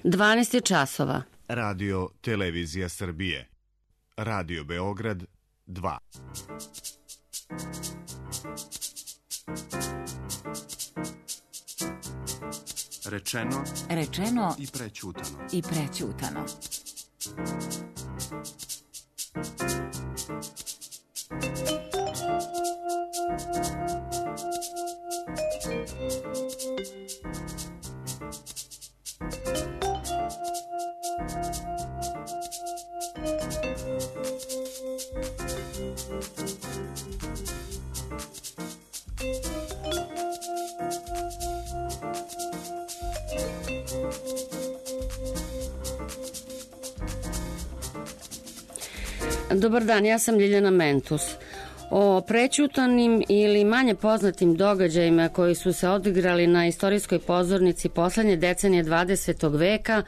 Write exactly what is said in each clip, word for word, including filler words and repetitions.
dvanaest je časova. Radio Televizija Srbije. Radio Beograd dva. Rečeno, Rečeno i prećutano. i prećutano. Dobar dan, ja sam Ljiljana Mentus. O prećutanim ili manje poznatim događajima koji su se odigrali na istorijskoj pozornici poslednje decenije dvadesetog veka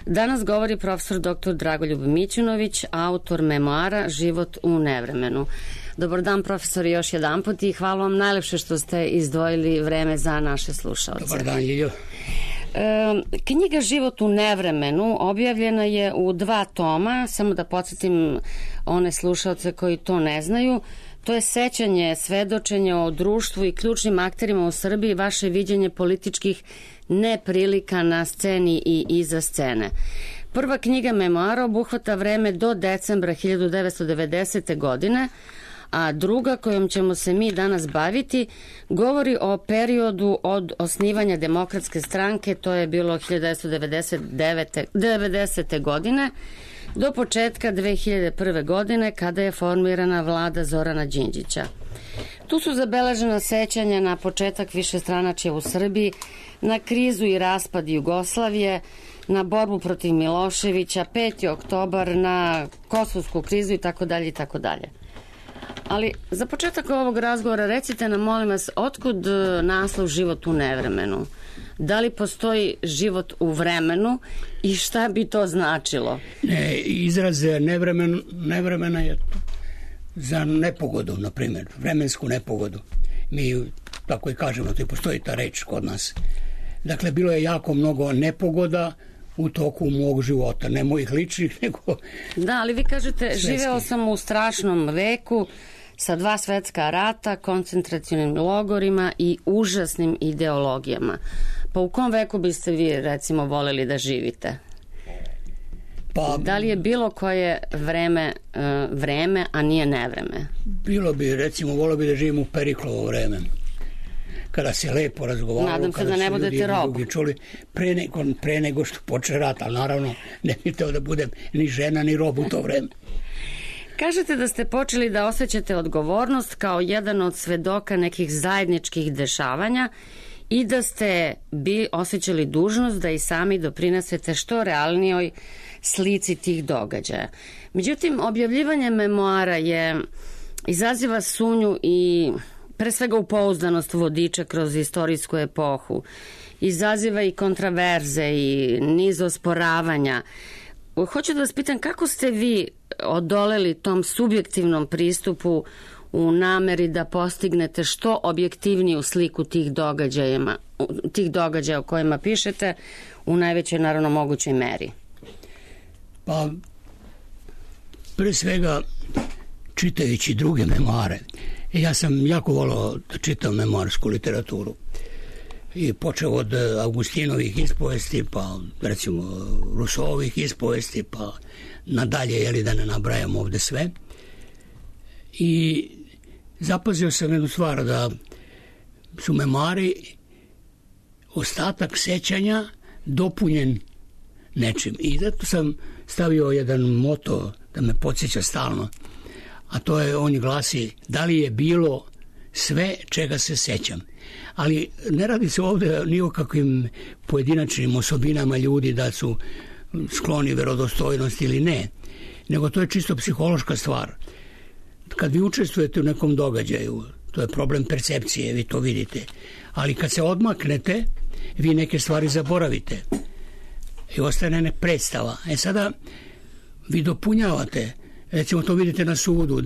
danas govori profesor doktor Dragoljub Mićunović, autor memoara Život u nevremenu. Dobar dan, profesor, još jedan put i hvala vam najlepše što ste izdvojili vreme za naše slušalce. Dobar dan, Ljiljo. E, knjiga Život u nevremenu objavljena je u dva toma, samo da podsjetim one slušalce koji to ne znaju. To je sećanje, svedočenje o društvu i ključnim akterima u Srbiji, vaše viđenje političkih neprilika na sceni i iza scene. Prva knjiga memoara obuhvata vreme do decembra hiljadu devetsto devedesete. godine, a druga kojom ćemo se mi danas baviti govori o periodu od osnivanja Demokratske stranke, to je bilo hiljadu devetsto devedesete. godine, do početka dve hiljade prve. godine kada je formirana vlada Zorana Đinđića. Tu su zabeležena sećanja na početak višestranačja u Srbiji, na krizu i raspad Jugoslavije, na borbu protiv Miloševića, peti oktobar, na kosovsku krizu i tako dalje i tako dalje. Ali za početak ovog razgovora recite nam, molim vas, otkud naslov Život u nevremenu? Da li postoji život u vremenu i šta bi to značilo? Ne, izraz nevremen, nevremena je za nepogodu, na primjer, vremensku nepogodu. Mi tako i kažemo, to i postoji ta reč kod nas. Dakle, bilo je jako mnogo nepogoda u toku mog života, ne mojih ličnih, nego... Da, ali vi kažete, svetski. Živeo sam u strašnom veku sa dva svetska rata, koncentracionim logorima i užasnim ideologijama. Pa u kom veku biste vi, recimo, voleli da živite? Pa, da li je bilo koje vreme, uh, vreme, a nije nevreme? Bilo bi, recimo, volio bi da živim u Periklovo vreme, kada se lepo razgovaralo, Nadam se kada da ne su ljudi budete rob. drugi čuli, pre nego, pre nego što poče rat, ali naravno ne bih teo da budem ni žena ni rob u to vreme. Kažete da ste počeli da osjećate odgovornost kao jedan od svedoka nekih zajedničkih dešavanja i da ste bi osjećali dužnost da i sami doprinesete što realnijoj slici tih događaja. Međutim, objavljivanje memoara je izaziva sumnju i pre svega u pouzdanost vodiča kroz istorijsku epohu. Izaziva i kontraverze i niz osporavanja. Hoću da vas pitam, kako ste vi odoleli tom subjektivnom pristupu u nameri da postignete što objektivniju sliku tih događajima, tih događaja o kojima pišete u najvećoj, naravno, mogućoj meri? Pa, pre svega, čitajući druge memoare, ja sam jako volao da čitam memoarsku literaturu. I počeo od Augustinovih ispovesti, pa recimo Rousseauovih ispovesti, pa nadalje, jeli da ne nabrajam ovde sve. I zapazio sam jednu stvar, da su memoari ostatak sećanja dopunjen nečim. I zato sam stavio jedan moto da me podsjeća stalno, a to je, on glasi, da li je bilo sve čega se sećam. Ali ne radi se ovde ni o kakvim pojedinačnim osobinama ljudi da su skloni verodostojnosti ili ne, nego to je čisto psihološka stvar. Kad vi učestvujete u nekom događaju, to je problem percepcije, vi to vidite, ali kad se odmaknete, vi neke stvari zaboravite i ostane ne predstava. E sada vi dopunjavate, recimo to vidite na sudu,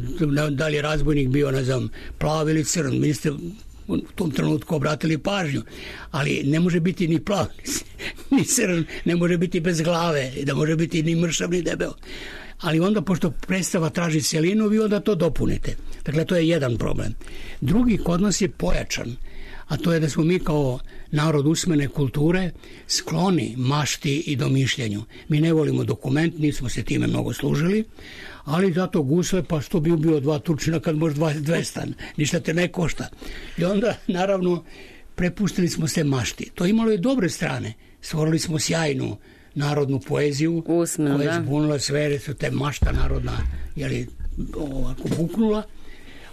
da li je razbojnik bio, ne znam, plav ili crn, vi ste u tom trenutku obratili pažnju, ali ne može biti ni plav ni crn, ne može biti bez glave, da može biti ni mršav ni debel. Ali onda, pošto predstava traži celinu, vi onda to dopunite. Dakle, to je jedan problem. Drugi kod nas je pojačan, a to je da smo mi kao narod usmene kulture skloni mašti i domišljanju. Mi ne volimo dokument, nismo se time mnogo služili, ali zato gusle, pa što bi ubio dva Turčina kad može dvesta, ništa te ne košta. I onda, naravno, prepustili smo se mašti. To imalo i dobre strane. Stvorili smo sjajnu narodnu poeziju, Usmeno, koja je da. zbunila sve, su te mašta narodna, jeli, ovako buknula.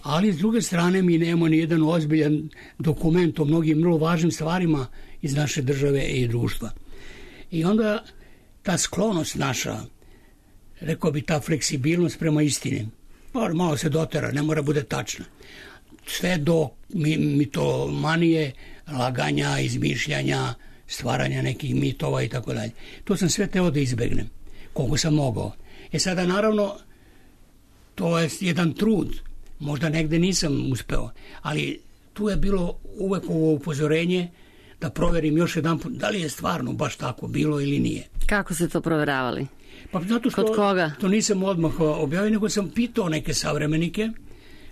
Ali s druge strane mi nemamo ni jedan ozbiljan dokument o mnogim vrlo važnim stvarima iz naše države i društva. I onda ta sklonost naša, rekao bi ta fleksibilnost prema istini, pa malo se dotera, ne mora bude tačna. Sve do mitomanije, laganja, izmišljanja, stvaranja nekih mitova i tako dalje. To sam sve teo da izbegnem, koliko sam mogao. E sada, naravno, to je jedan trud. Možda negde nisam uspeo, ali tu je bilo uvek ovo upozorenje da proverim još jedan put da li je stvarno baš tako bilo ili nije. Kako ste to proveravali? Pa zato što Kod koga? To nisam odmah objavio, nego sam pitao neke savremenike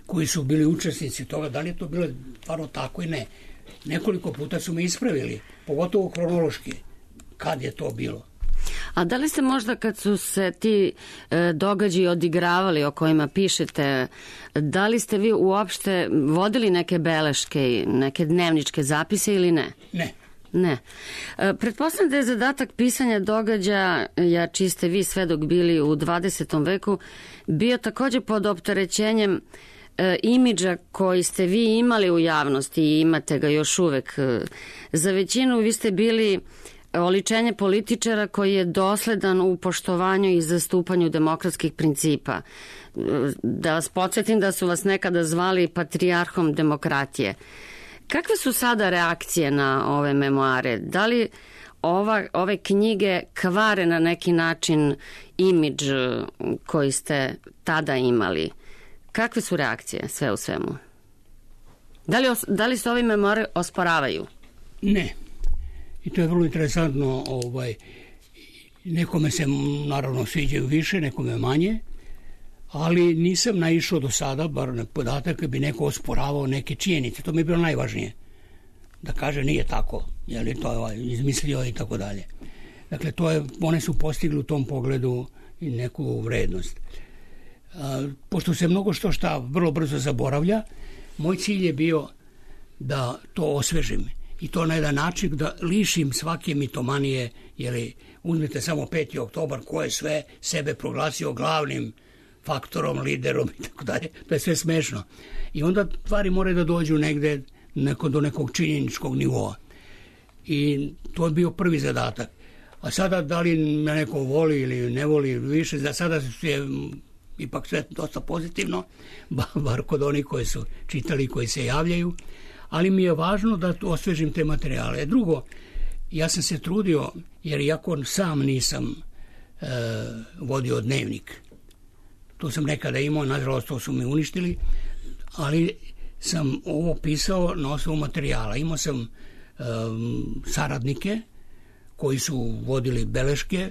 koji su bili učesnici toga, da li je to bilo stvarno tako i ne. Nekoliko puta su me ispravili, pogotovo kronološki, kad je to bilo. A da li ste možda kad su se ti e, događaji odigravali o kojima pišete, da li ste vi uopšte vodili neke beleške, neke dnevničke zapise ili ne? Ne. Ne. E, pretpostavljam da je zadatak pisanja događaja, ja čiji ste vi svedok bili u dvadesetom veku, bio također pod opterećenjem e, imidža koji ste vi imali u javnosti i imate ga još uvek. Za većinu vi ste bili oličenje političara koji je dosledan u poštovanju i zastupanju demokratskih principa. Da vas podsjetim da su vas nekada zvali patrijarhom demokratije. Kakve su sada reakcije na ove memoare? Da li ova, ove knjige kvare na neki način imidž koji ste tada imali? Kakve su reakcije sve u svemu? Da li, da li se ovi memoare osporavaju? Ne. I to je vrlo interesantno, ovaj, nekome se naravno sviđaju više, nekome manje, ali nisam naišao do sada, bar na podatak, da bi neko osporavao neke činjenice. To mi je bilo najvažnije. Da kaže nije tako, je li to je izmislio i tako dalje. Dakle, to je, one su postigli u tom pogledu i neku vrednost. A, pošto se mnogo što šta vrlo brzo zaboravlja, moj cilj je bio da to osvežim. I to na jedan način da lišim svake mitomanije, jer uzmite samo peti oktobar, ko je sve sebe proglasio glavnim faktorom, liderom i tako dalje. To je sve smešno. I onda stvari moraju da dođu negde neko, do nekog činjeničkog nivoa. I to je bio prvi zadatak. A sada da li me neko voli ili ne voli više, da sada je ipak sve dosta pozitivno, bar kod onih koji su čitali, koji se javljaju. Ali mi je važno da osvežim te materijale. Drugo, ja sam se trudio, jer iako sam nisam e, vodio dnevnik, to sam nekada imao, nažalost to su me uništili, ali sam ovo pisao na osnovu materijala. Imao sam e, saradnike koji su vodili beleške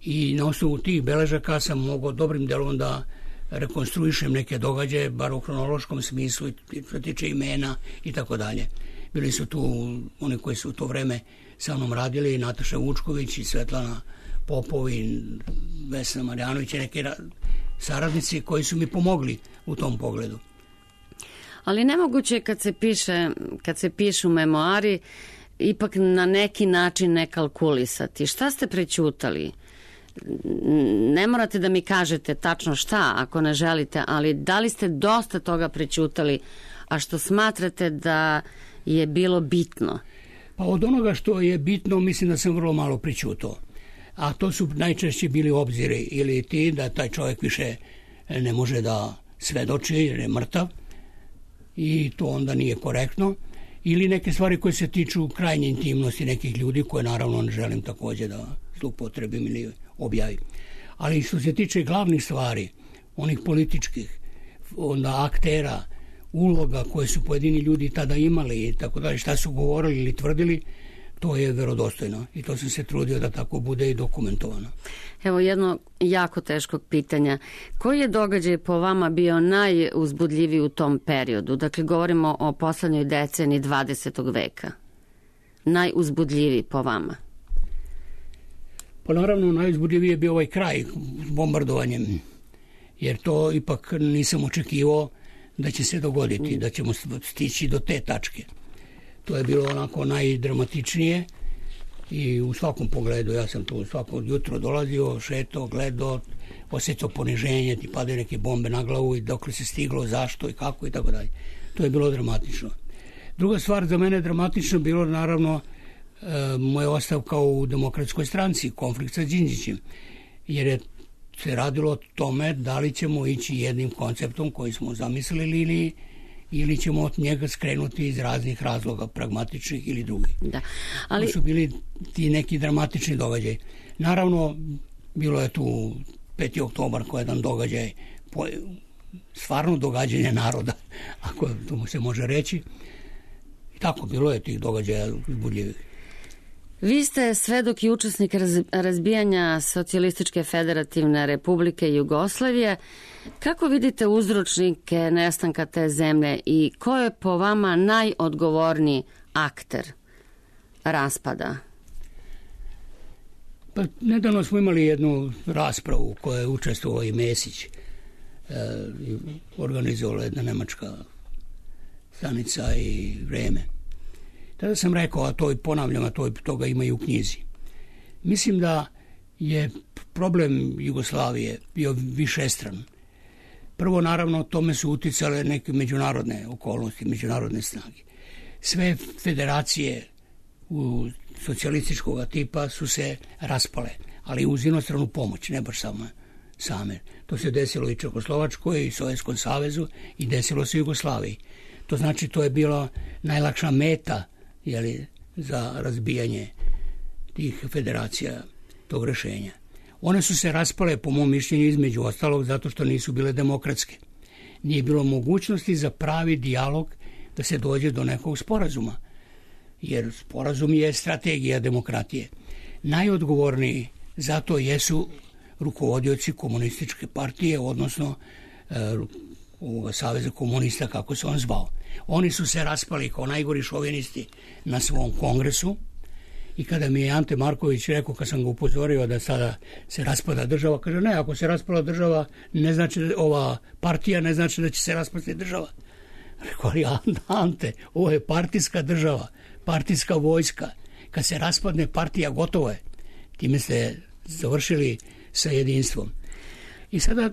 i na osnovu tih beležaka sam mogao dobrim delom da rekonstruišem neke događaje, bar u kronološkom smislu, i što tiče imena i tako dalje. Bili su tu oni koji su u to vreme sa mnom radili, Nataša Vučković i Svetlana Popov i Vesna Marjanović i neki saradnici koji su mi pomogli u tom pogledu. Ali nemoguće kad se piše, kad se pišu memoari, ipak na neki način ne kalkulisati. Šta ste prećutali? Ne morate da mi kažete tačno šta ako ne želite, ali da li ste dosta toga prećutali, a što smatrate da je bilo bitno? Pa od onoga što je bitno mislim da sam vrlo malo prećutao. A to su najčešće bili obziri ili ti da taj čovjek više ne može da svedoči jer je mrtav i to onda nije korektno, ili neke stvari koje se tiču krajnje intimnosti nekih ljudi koje naravno ne želim također da zloupotrebim ili objavim. Ali što se tiče glavnih stvari, onih političkih, onda aktera, uloga koje su pojedini ljudi tada imali i tako dalje, šta su govorili ili tvrdili, to je verodostojno i to sam se trudio da tako bude i dokumentovano. Evo jedno jako teškog pitanja. Koji je događaj po vama bio najuzbudljiviji u tom periodu? Dakle, govorimo o poslednjoj deceniji dvadesetog veka. Najuzbudljiviji po vama? Pa naravno, najuzbudljiviji je bio ovaj kraj bombardovanjem, jer to ipak nisam očekivao da će se dogoditi, da ćemo stići do te tačke. To je bilo onako najdramatičnije i u svakom pogledu. Ja sam tu svako jutro dolazio, šetao, gledao, osjećao poniženje, ti padaju neke bombe na glavu i dok se stiglo, zašto i kako i tako dalje. To je bilo dramatično. Druga stvar za mene dramatično bilo naravno e, moja ostavka u Demokratskoj stranci, konflikt sa Đinđićem, jer je se radilo o tome da li ćemo ići jednim konceptom koji smo zamislili ili ili ćemo od njega skrenuti iz raznih razloga, pragmatičnih ili drugih. Da, ali... To su bili ti neki dramatični događaj. Naravno, bilo je tu peti oktobar koji je jedan događaj, stvarno događanje naroda, ako to se može reći. I tako, bilo je tih događaja uzbudljivih. Vi ste svedok i učesnik razbijanja Socijalističke federativne republike Jugoslavije. Kako vidite uzročnike nestanka te zemlje i ko je po vama najodgovorniji akter raspada? Pa nedavno smo imali jednu raspravu u kojoj je učestvovao i Mesić. E, organizovala jedna nemačka stanica i Vreme. Tada sam rekao, a to i ponavljam, a to toga ima i u knjizi. Mislim da je problem Jugoslavije bio višestran. Prvo, naravno, tome su uticale neke međunarodne okolnosti, međunarodne snage. Sve federacije u socijalističkog tipa su se raspale, ali uz inostranu pomoć, ne baš samo same. To se desilo i Čekoslovačkoj i Sovjetskom savezu i desilo se Jugoslaviji. To znači, to je bila najlakša meta, jeli, za razbijanje tih federacija, tog rešenja. One su se raspale, po mom mišljenju, između ostalog, zato što nisu bile demokratske. Nije bilo mogućnosti za pravi dijalog da se dođe do nekog sporazuma, jer sporazum je strategija demokratije. Najodgovorniji za to jesu rukovodioci komunističke partije, odnosno e, ovoga Saveza komunista, kako se on zvao. Oni su se raspali kao najgori šovinisti na svom kongresu i kada mi je Ante Marković rekao, kad sam ga upozorio da sada se raspada država, kaže ne, ako se raspala država, ne znači ova partija, ne znači da će se raspasti država. Rekao, ali Ante, ovo je partijska država, partijska vojska. Kad se raspadne partija, gotovo je. Time ste završili sa jedinstvom. I sada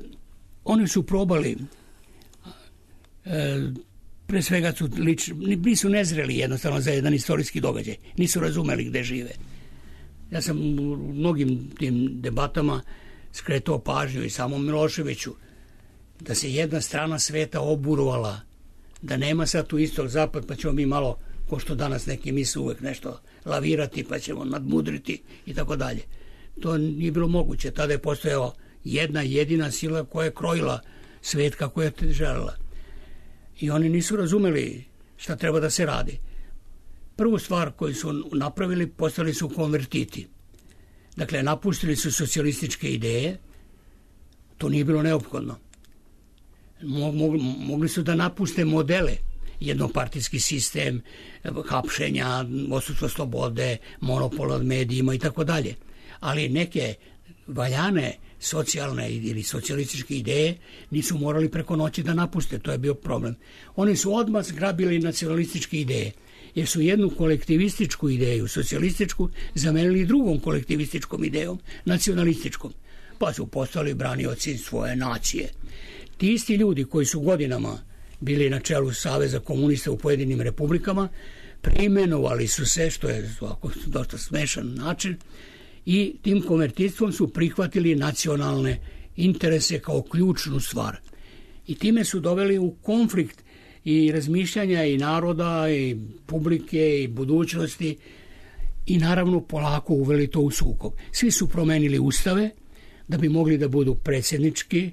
oni su probali e, pre svega su lič, nisu nezreli jednostavno za jedan istorijski događaj. Nisu razumeli gde žive. Ja sam u mnogim tim debatama skretao pažnju i samom Miloševiću da se jedna strana sveta oburovala, da nema sad tu istog zapad, pa ćemo mi malo, ko što danas neki misle, uvek nešto lavirati, pa ćemo nadmudriti i tako dalje. To nije bilo moguće. Tada je postojala jedna jedina sila koja je krojila svet kako je želela. I oni nisu razumeli šta treba da se radi. Prvu stvar koju su napravili, postali su konvertiti. Dakle, napustili su socijalističke ideje, to nije bilo neophodno. Mogli su da napuste modele, jednopartijski sistem, hapšenja, odsustvo slobode, monopol od medijima i tako dalje. Ali neke valjane socijalne ili socijalističke ideje nisu morali preko noći da napuste, to je bio problem. Oni su odmah zgrabili nacionalističke ideje, jer su jednu kolektivističku ideju, socijalističku, zamenili drugom kolektivističkom idejom, nacionalističkom. Pa su postali branioci svoje nacije. Ti isti ljudi koji su godinama bili na čelu Saveza komunista u pojedinim republikama, preimenovali su se, što je ovako dosta smešan način, i tim konvertitstvom su prihvatili nacionalne interese kao ključnu stvar. I time su doveli u konflikt i razmišljanja i naroda i publike i budućnosti i naravno polako uveli to u sukob. Svi su promenili ustave da bi mogli da budu predsjednički,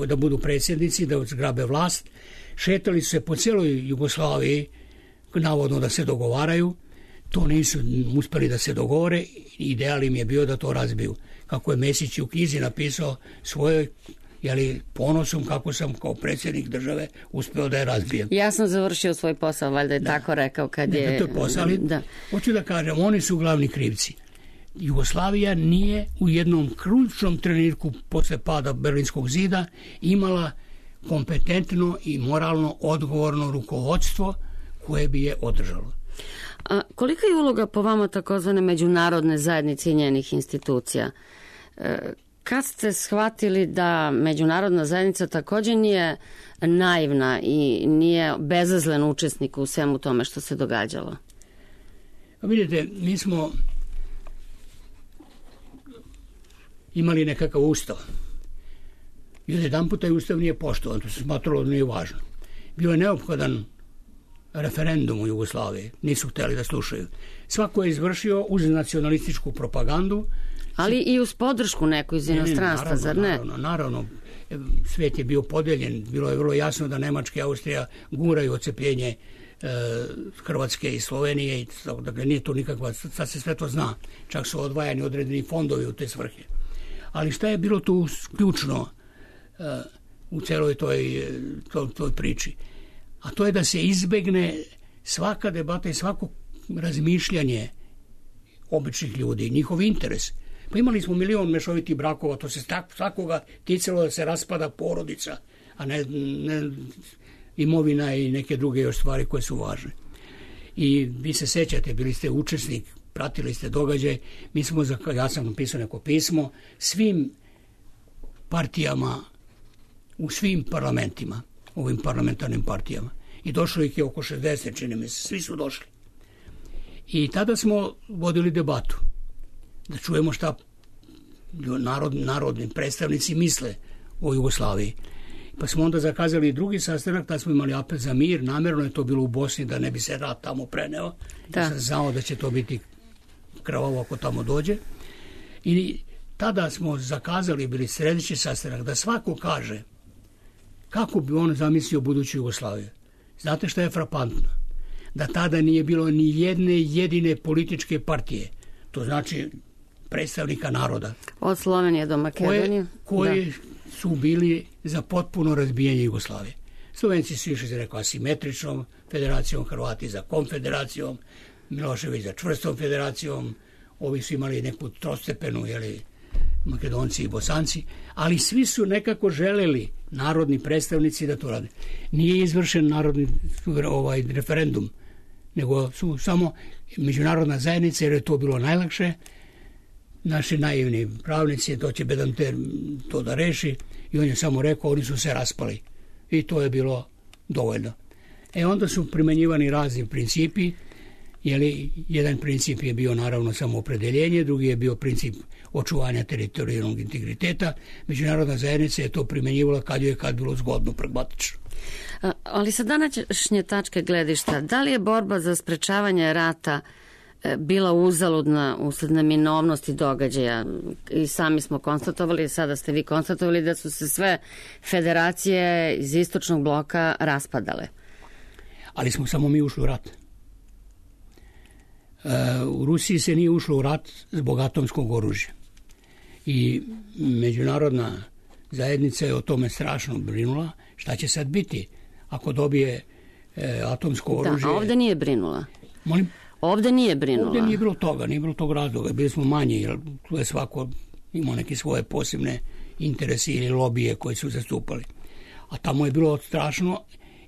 da budu predsjednici, da zgrabe vlast. Šetali su se po celoj Jugoslaviji, navodno da se dogovaraju. to nisu uspeli da se dogovore, ideal im je bio da to razbiju. Kako je Mesić u knjizi napisao svojoj, jeli, ponosom kako sam kao predsjednik države uspeo da je razbijem. Ja sam završio svoj posao, valjda je da. tako rekao kad je... Ne, to je posao, ali da. Hoću da kažem, oni su glavni krivci. Jugoslavija nije u jednom ključnom trenutku posle pada Berlinskog zida imala kompetentno i moralno odgovorno rukovodstvo koje bi je održalo. A kolika je uloga po vama takozvane međunarodne zajednice i njenih institucija? E, kad ste shvatili da međunarodna zajednica također nije naivna i nije bezazlen učesnik u svemu tome što se događalo? A vidite, mi smo imali nekakav ustav. I jedan puta je ustav nije poštovan, to se smatralo da nije važno. Bio je neophodan referendum u Jugoslaviji, nisu htjeli da slušaju. Svako je izvršio uz nacionalističku propagandu. Ali i uz podršku neku iz inostranstva, zar ne? Naravno, naravno. Svijet je bio podijeljen, bilo je vrlo jasno da Nemačka i Austrija guraju odcepljenje e, Hrvatske i Slovenije, i, dakle nije to nikakva, sad se sve to zna, čak su odvajani određeni fondovi u te svrhe. Ali šta je bilo tu ključno e, u celoj toj, toj, toj priči? A to je da se izbegne svaka debata i svako razmišljanje običnih ljudi, njihov interes. Pa imali smo milion mešovitih brakova, to se svakoga ticalo da se raspada porodica, a ne, ne imovina i neke druge još stvari koje su važne. I vi se sećate, bili ste učesnik, pratili ste događaj, mi smo, ja sam napisao neko pismo, svim partijama, u svim parlamentima, ovim parlamentarnim partijama. I došlo ih je oko šezdeset, čini mi se, svi su došli. I tada smo vodili debatu, da čujemo šta narod, narodni predstavnici misle o Jugoslaviji. Pa smo onda zakazali drugi sastanak, tada smo imali apel za mir, namjerno je to bilo u Bosni da ne bi se rat tamo preneo. Da. Ja sam znao da će to biti krvavo ako tamo dođe. I tada smo zakazali, bili sljedeći sastanak, da svako kaže kako bi on zamislio buduću Jugoslaviju. Znate šta je frapantno? Da tada nije bilo ni jedne jedine političke partije. To znači predstavnika naroda. Od Slovenije do Makedonije. Koje, koje su bili za potpuno razbijanje Jugoslavije. Slovenci su išli za nekom asimetričnom federacijom, Hrvati za konfederacijom, Milošević za čvrstom federacijom, ovi su imali neku trostepenu, jeli, Makedonci i Bosanci, ali svi su nekako želeli, narodni predstavnici, da to rade. Nije izvršen narodni ovaj referendum, nego su samo međunarodna zajednica, jer je to bilo najlakše. Naši naivni pravnici, to će Bedanter to da reši, i on je samo rekao, oni su se raspali. I to je bilo dovoljno. E onda su primenjivani razni principi, jeli, jedan princip je bio naravno samo opredeljenje, drugi je bio princip očuvanja teritorijalnog integriteta. Međunarodna zajednica je to primjenjivala kad je kad bilo zgodno, pragmatično. Ali sa današnje tačke gledišta, da li je borba za sprečavanje rata bila uzaludna usled neminovnosti događaja? I sami smo konstatovali, sada ste vi konstatovali da su se sve federacije iz istočnog bloka raspadale. Ali smo samo mi ušli u rat. U Rusiji se nije ušlo u rat zbog atomskog oružja. I međunarodna zajednica je o tome strašno brinula. Šta će sad biti ako dobije e, atomsko oružje? Da, a ovdje nije brinula. Molim? Ovdje nije brinula. Ovdje nije bilo toga, nije bilo tog razloga. Bili smo manji, jer tu je svako imao neke svoje posebne interese ili lobije koje su zastupali. A tamo je bilo strašno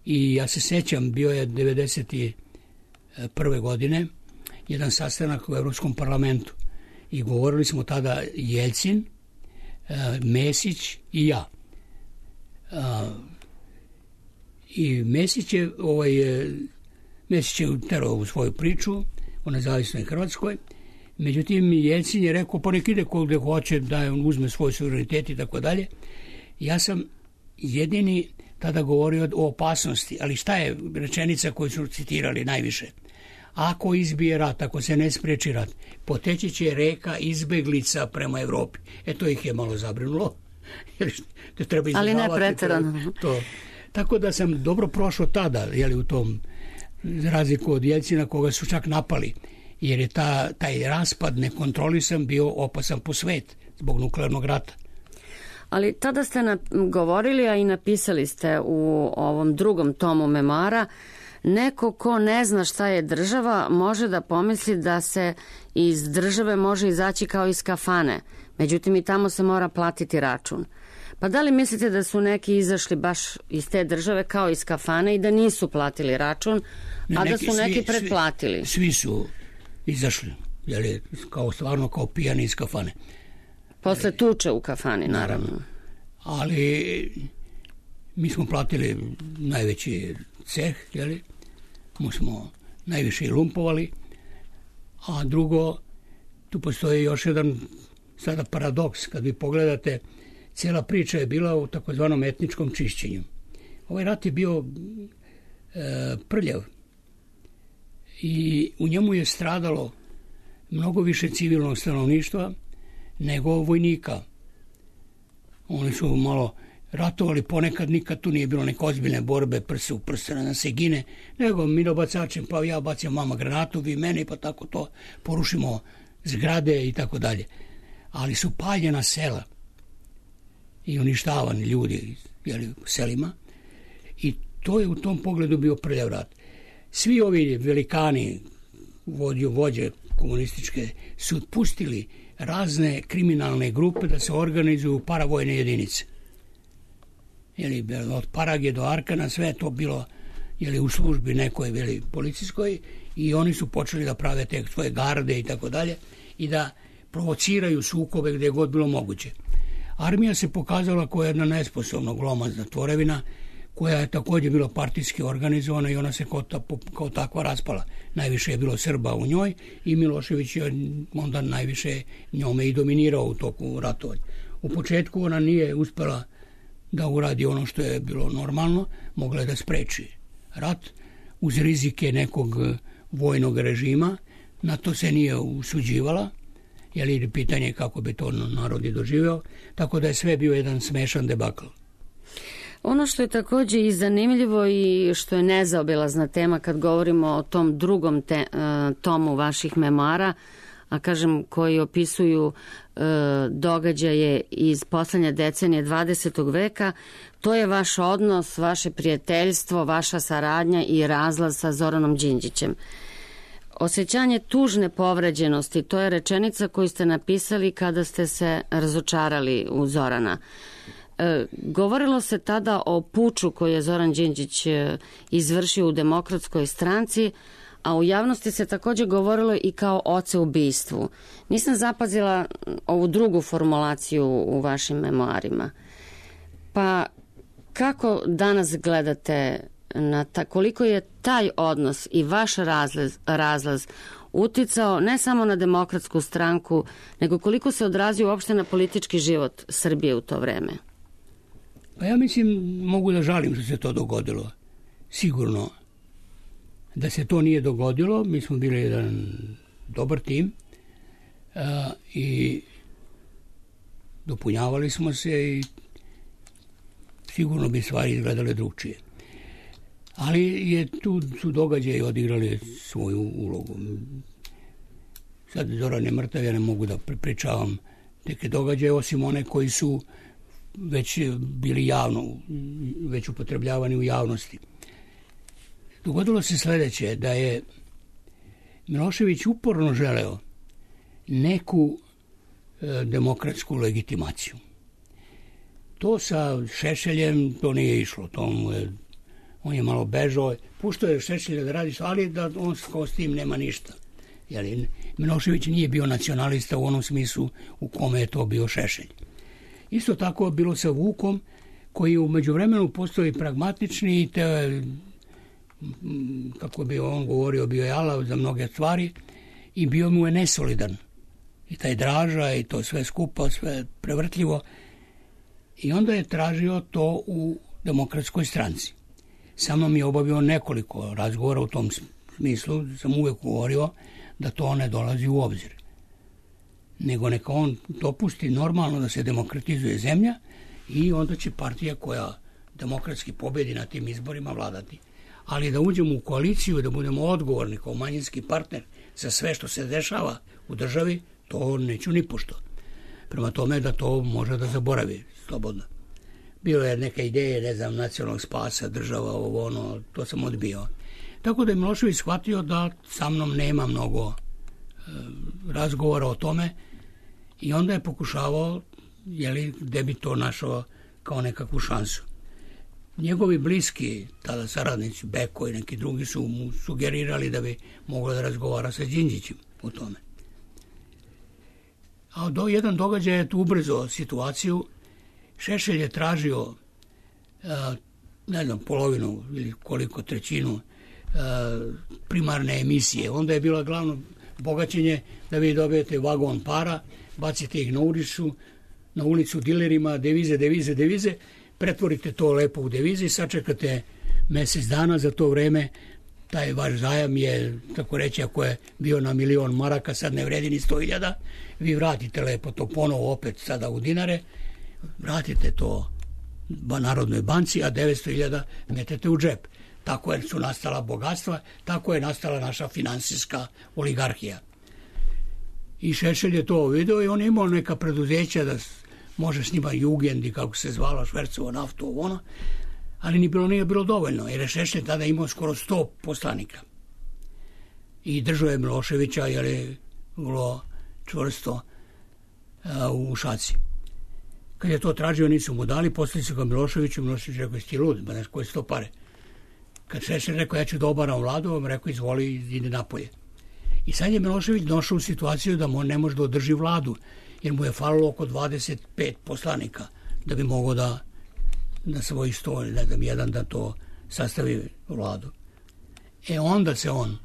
i ja se sećam, bio je devedeset prve godine jedan sastanak u Europskom parlamentu i govorili smo tada Jelcin, Mesić i ja. I Mesić je, ovaj, Mesić je terao u svoju priču o nezavisnoj Hrvatskoj, međutim Jelcin je rekao pa nek ide gdje hoće, da on uzme svoj suverenitet i tako dalje. Ja sam jedini tada govorio o opasnosti, ali šta je rečenica koju su citirali najviše? Ako izbije rat, ako se ne spreči rat, poteći će reka izbeglica prema Evropi. E to ih je malo zabrinulo. Jer treba ali ne pretjerano. To. Tako da sam dobro prošao tada, jeli, u tom razliku od Jelcina, koga su čak napali. jer je ta, taj raspad nekontrolisan bio opasan po svet zbog nuklearnog rata. Ali tada ste na, govorili, a i napisali ste u ovom drugom tomu memoara, neko ko ne zna šta je država može da pomisli da se iz države može izaći kao iz kafane. Međutim, i tamo se mora platiti račun. Pa da li mislite da su neki izašli baš iz te države kao iz kafane i da nisu platili račun, ne, a neki, da su neki svi, pretplatili? Svi, svi su izašli, jel, kao stvarno kao pijani iz kafane. Posle tuče u kafani, naravno. naravno. Ali mi smo platili najveći ceh, jel, mi smo najviše lumpovali, a drugo, tu postoji još jedan sada paradoks. Kad vi pogledate, cijela priča je bila u takozvanom etničkom čišćenju. Ovaj rat je bio e, prljav i u njemu je stradalo mnogo više civilnog stanovništva nego vojnika. Oni su malo ratovali ponekad, nikad tu nije bilo neke ozbiljne borbe, prse u prse na se gine, nego mi dobacačem, pa ja bacim vama granatu, vi meni, pa tako to porušimo zgrade i tako dalje. Ali su paljena sela i uništavani ljudi, jeli, u selima, i to je u tom pogledu bio prljav rat. Svi ovi velikani, vođe, vođe komunističke, su pustili razne kriminalne grupe da se organizuju paravojne jedinice. Jeli, od Parage do Arkana, sve je to bilo, jeli, u službi nekoj, jeli, policijskoj, i oni su počeli da prave te svoje garde i tako dalje i da provociraju sukobe gdje je god bilo moguće. Armija se pokazala kao jedna nesposobna glomazna tvorevina koja je također bila partijski organizovana i ona se kao, ta, kao takva raspala. Najviše je bilo Srba u njoj i Milošević je onda najviše njome i dominirao u toku ratovanja. U početku ona nije uspela da uradi ono što je bilo normalno, mogla je da spreči rat uz rizike nekog vojnog režima, na to se nije usuđivala, jer je pitanje kako bi to narod i doživeo, tako da je sve bio jedan smešan debakl. Ono što je također i zanimljivo i što je nezaobilazna tema kad govorimo o tom drugom te, tomu vaših memoara, a kažem koji opisuju e, događaje iz poslednje decenije dvadesetog veka, to je vaš odnos, vaše prijateljstvo, vaša saradnja i razlaz sa Zoranom Đinđićem. Osjećanje tužne povređenosti, to je rečenica koju ste napisali kada ste se razočarali u Zorana. E, govorilo se tada o puču koji je Zoran Đinđić izvršio u Demokratskoj stranci, a u javnosti se također govorilo i kao oceubistvu. Nisam zapazila ovu drugu formulaciju u vašim memoarima. Pa kako danas gledate na ta, koliko je taj odnos i vaš razlaz, razlaz uticao ne samo na Demokratsku stranku, nego koliko se odrazio uopšte na politički život Srbije u to vreme? Pa ja mislim, mogu da žalim što se to dogodilo. Sigurno da se to nije dogodilo, mi smo bili jedan dobar tim a, i dopunjavali smo se i sigurno bi stvari izgledale drugčije. Ali je tu su događaji odigrali svoju ulogu. Sad Zoran je mrtav, ja ne mogu da pričavam neke događaje, osim one koji su već bili javno, već upotrebljavani u javnosti. Dogodilo se sledeće, da je Milošević uporno želeo neku e, demokratsku legitimaciju. To sa Šešeljem, to nije išlo, to mu je, on je malo bežao, puštao je Šešelja da radi, ali da on s tim nema ništa. Jeli, Milošević nije bio nacionalista u onom smislu u kome je to bio Šešelj. Isto tako je bilo sa Vukom, koji u međuvremenu postao pragmatični i te, kako bi on govorio, bio je alav za mnoge stvari i bio mu je nesolidan. I taj Draža i to sve skupa, sve prevrtljivo. I onda je tražio to u Demokratskoj stranci. Sa mnom je obavio nekoliko razgovora u tom smislu, sam uvek govorio da to ne dolazi u obzir. Nego neka on dopusti normalno da se demokratizuje zemlja i onda će partija koja demokratski pobedi na tim izborima vladati. Ali da uđemo u koaliciju, da budemo odgovorni kao manjinski partner za sve što se dešava u državi, to neću ni pošto. Prema tome da to može da zaboravi slobodno. Bilo je neka ideje, ne znam, nacionalnog spasa, država, ovo ono, to sam odbio. Tako da je Milošević shvatio da sa mnom nema mnogo e, razgovora o tome i onda je pokušavao, jeli, gde bi to našao kao nekakvu šansu. Njegovi bliski, tada saradnici, Beko i neki drugi su mu sugerirali da bi mogla da razgovara sa Đinđićem o tome. A do jedan događaj je tu ubrzo situaciju. Šešelj je tražio a, ne znam, polovinu ili koliko trećinu a, primarne emisije. Onda je bilo glavno bogaćenje da vi dobijete vagon para, bacite ih na ulicu, na ulicu dilerima, devize, devize, devize, pretvorite to lepo u devize i sačekate mesec dana. Za to vreme taj vaš zajam je, tako reći, ako je bio na milion maraka, sad ne vredi ni sto hiljada, vi vratite lepo to ponovo opet sada u dinare, vratite to Narodnoj banci, a devetsto hiljada metete u džep. Tako je su nastala bogatstva, tako je nastala naša finansijska oligarhija. I Šešelj je to video i on je imao neka preduzeća da može s njima Jugendi, kako se zvala, švercovo naftu, ono, ali ni bilo, nije bilo dovoljno, jer je Šešelj tada imao skoro sto poslanika. I držao je Miloševića, jer je bilo čvrsto a, u šaci. Kad je to tražio, nisu mu dali, poslali su ga Miloševiću, Milošević rekao, jesi ti lud, ba ne, koje su to pare? Kad Šešelj rekao, ja ću da obaram vladu, on rekao, izvoli, ide napolje. I sad je Milošević došao u situaciju da mu ne može da održi vladu, jer mu je falilo oko dvadeset pet poslanika da bi mogao da na svoj sto, ne znam, jedan da to sastavi vladu. E onda se on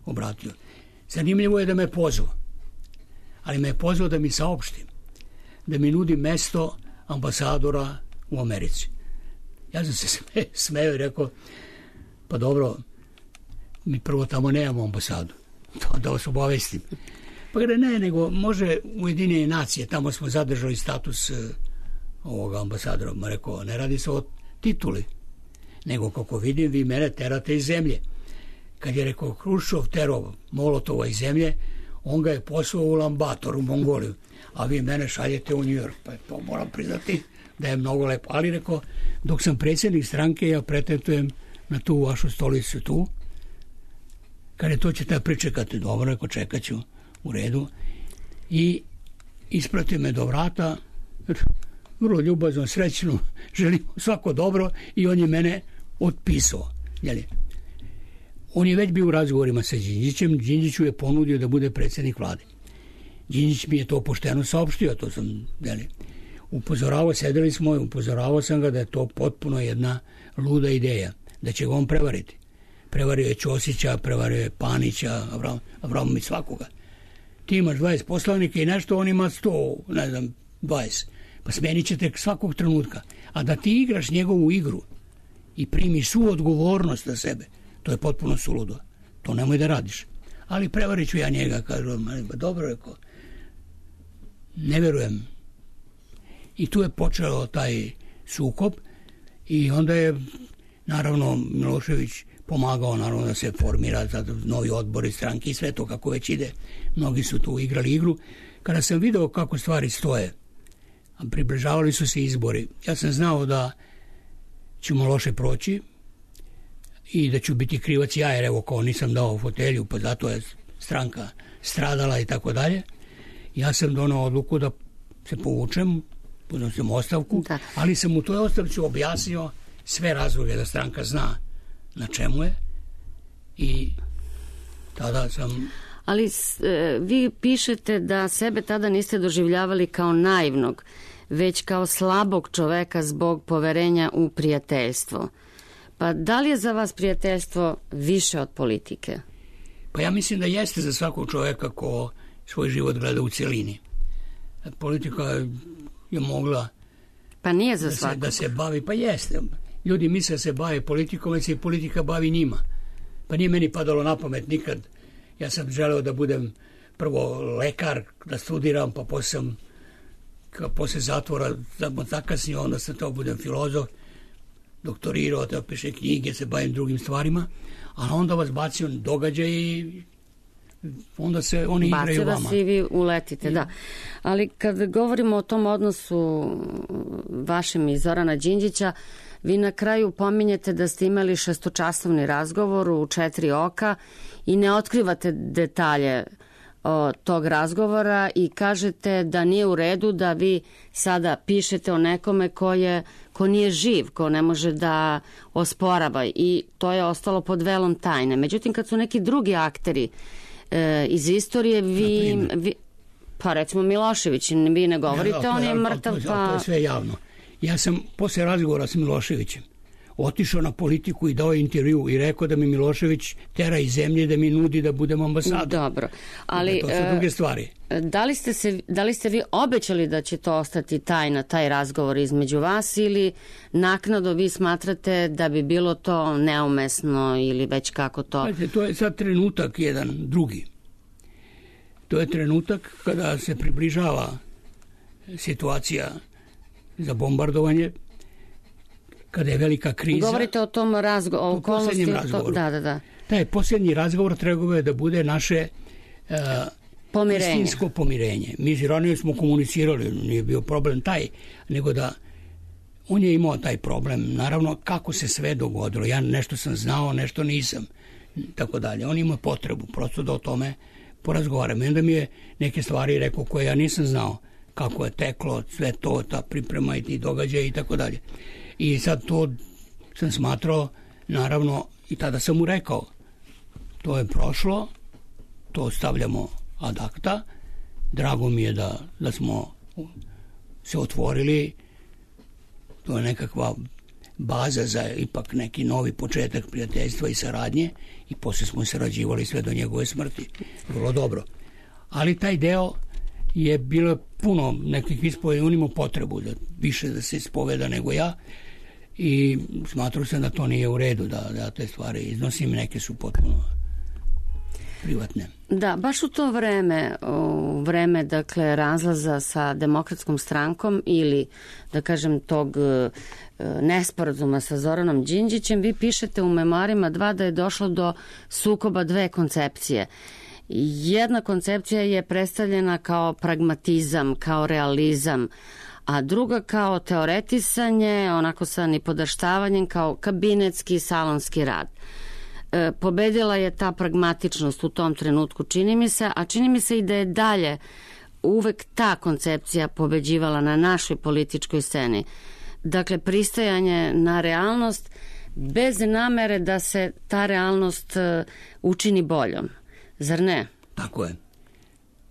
obratio. Zanimljivo je da me pozvao, ali me je pozvao da mi saopšti, da mi nudi mesto ambasadora u Americi. Ja sam se sme, smeo i rekao, pa dobro, mi prvo tamo nemamo ambasadu, to da vas obavestim. Pa gre, ne, nego može Ujedinjene nacije, tamo smo zadržali status uh, ovoga ambasadora. Ma rekao, ne radi se o tituli, nego kako vidim, vi mene terate iz zemlje. Kad je rekao Hruščov terao Molotova iz zemlje, on ga je poslao u Ulaanbaatar, u Mongoliju, a vi mene šaljete u New York. Pa to moram priznati da je mnogo lepo. Ali rekao, dok sam predsjednik stranke, ja pretendujem na tu vašu stolicu tu. Kad je to ćete pričekati, dobro, rekao, čekat ću. U redu. I isprati me do vrata, vrlo ljubazno, srećno, želim svako dobro, i on je mene otpisao. Jeli? On je već bio u razgovorima sa Đinđićem, Đinđiću je ponudio da bude predsjednik vlade. Đinđić mi je to pošteno saopštio, to sam, jeli, upozoravao, sedeli smo i upozoravao sam ga da je to potpuno jedna luda ideja, da će ga on prevariti. Prevario je Ćosića, prevario je Panića, Avram, Avramović, svakoga. Ti imaš dvadeset poslanika i nešto, on ima sto, ne znam, dvadeset. Pa smenit ćete svakog trenutka. A da ti igraš njegovu igru i primiš svu odgovornost na sebe, to je potpuno suludo. To nemoj da radiš. Ali prevarit ću ja njega, kažu, ba dobro, rekao, ne verujem. I tu je počeo taj sukob i onda je, naravno, Milošević pomagao, naravno, da se formira novi odbori stranke i sve to kako već ide. Mnogi su tu igrali igru. Kada sam video kako stvari stoje, a približavali su se izbori, ja sam znao da ćemo loše proći i da ću biti krivac ja, jer evo, kao nisam dao fotelju, pa zato je stranka stradala i tako dalje. Ja sam donao odluku da se povučem, podnosim ostavku, da. Ali sam u toj ostavci objasnio sve razloge da stranka zna na čemu je i tada sam... Ali e, vi pišete da sebe tada niste doživljavali kao naivnog, već kao slabog čoveka zbog poverenja u prijateljstvo. Pa da li je za vas prijateljstvo više od politike? Pa ja mislim da jeste za svakog čoveka ko svoj život gleda u cjelini. Politika je mogla pa nije za da, se, svakog. da se bavi, pa jeste. Ljudi misle da se bave politikom, već se i politika bavi njima. Pa nije meni padalo na pamet nikad. Ja sam želeo da budem prvo lekar, da studiram, pa posle sam, posle zatvora, da zakasnio, onda sam to budem filozof, doktorirao, da pišem knjige, se bavim drugim stvarima, a onda vas bacio događaj i onda se oni igraju vama. Bace vas i vi uletite, da. Ali kad govorimo o tom odnosu vašem i Zorana Đinđića, vi na kraju pominjete da ste imali šestočasovni razgovor u četiri oka i ne otkrivate detalje o, tog razgovora i kažete da nije u redu da vi sada pišete o nekome ko, je, ko nije živ, ko ne može da osporava i to je ostalo pod velom tajne. Međutim, kad su neki drugi akteri e, iz istorije, vi, vi pa recimo Milošević, vi ne govorite, ja, da, on je mrtav. To, pa... to je sve javno. Ja sam posle razgovora s Miloševićem otišao na politiku i dao intervju i rekao da mi Milošević tera iz zemlje da mi nudi da budem ambasador. Dobro, ali to su druge stvari. Da li ste se, da li ste vi obećali da će to ostati tajna, taj razgovor između vas ili naknadno vi smatrate da bi bilo to neumesno ili već kako to? Znači, to je sad trenutak jedan drugi. To je trenutak kada se približava situacija za bombardovanje, kada je velika kriza. Govorite o tom razgovoru, o posljednjem razgovoru. Da, da, da. Taj posljednji razgovor trebao je da bude naše uh, pomirenje. Istinsko pomirenje. Mi s Iranijom smo komunicirali, nije bio problem taj, nego da on je imao taj problem. Naravno, kako se sve dogodilo. Ja nešto sam znao, nešto nisam. Tako dalje. On ima potrebu prosto da o tome porazgovaram. I onda mi je neke stvari rekao koje ja nisam znao. Kako je teklo, sve to, ta priprema i ti događaje i tako dalje. I sad to sam smatrao, naravno, i tada sam mu rekao, to je prošlo, to stavljamo ad acta, drago mi je da, da smo se otvorili, to je nekakva baza za ipak neki novi početak prijateljstva i saradnje i poslije smo sarađivali sve do njegove smrti. Vrlo dobro. Ali taj deo je bilo puno nekih ispoveda, on imao potrebu da više da se ispoveda nego ja i smatrao sam da to nije u redu da, da te stvari iznosim, neke su potpuno privatne. Da, baš u to vreme, u vreme dakle razlaza sa Demokratskom strankom ili da kažem tog nesporazuma sa Zoranom Đinđićem, vi pišete u memoarima dva da je došlo do sukoba dve koncepcije. Jedna koncepcija je predstavljena kao pragmatizam, kao realizam, a druga kao teoretisanje, onako sa nipodaštavanjem, kao kabinetski salonski rad. E, pobedila je ta pragmatičnost u tom trenutku, čini mi se, a čini mi se i da je dalje uvek ta koncepcija pobeđivala na našoj političkoj sceni. Dakle, pristajanje na realnost bez namere da se ta realnost uh, učini boljom. Zar ne? Tako je.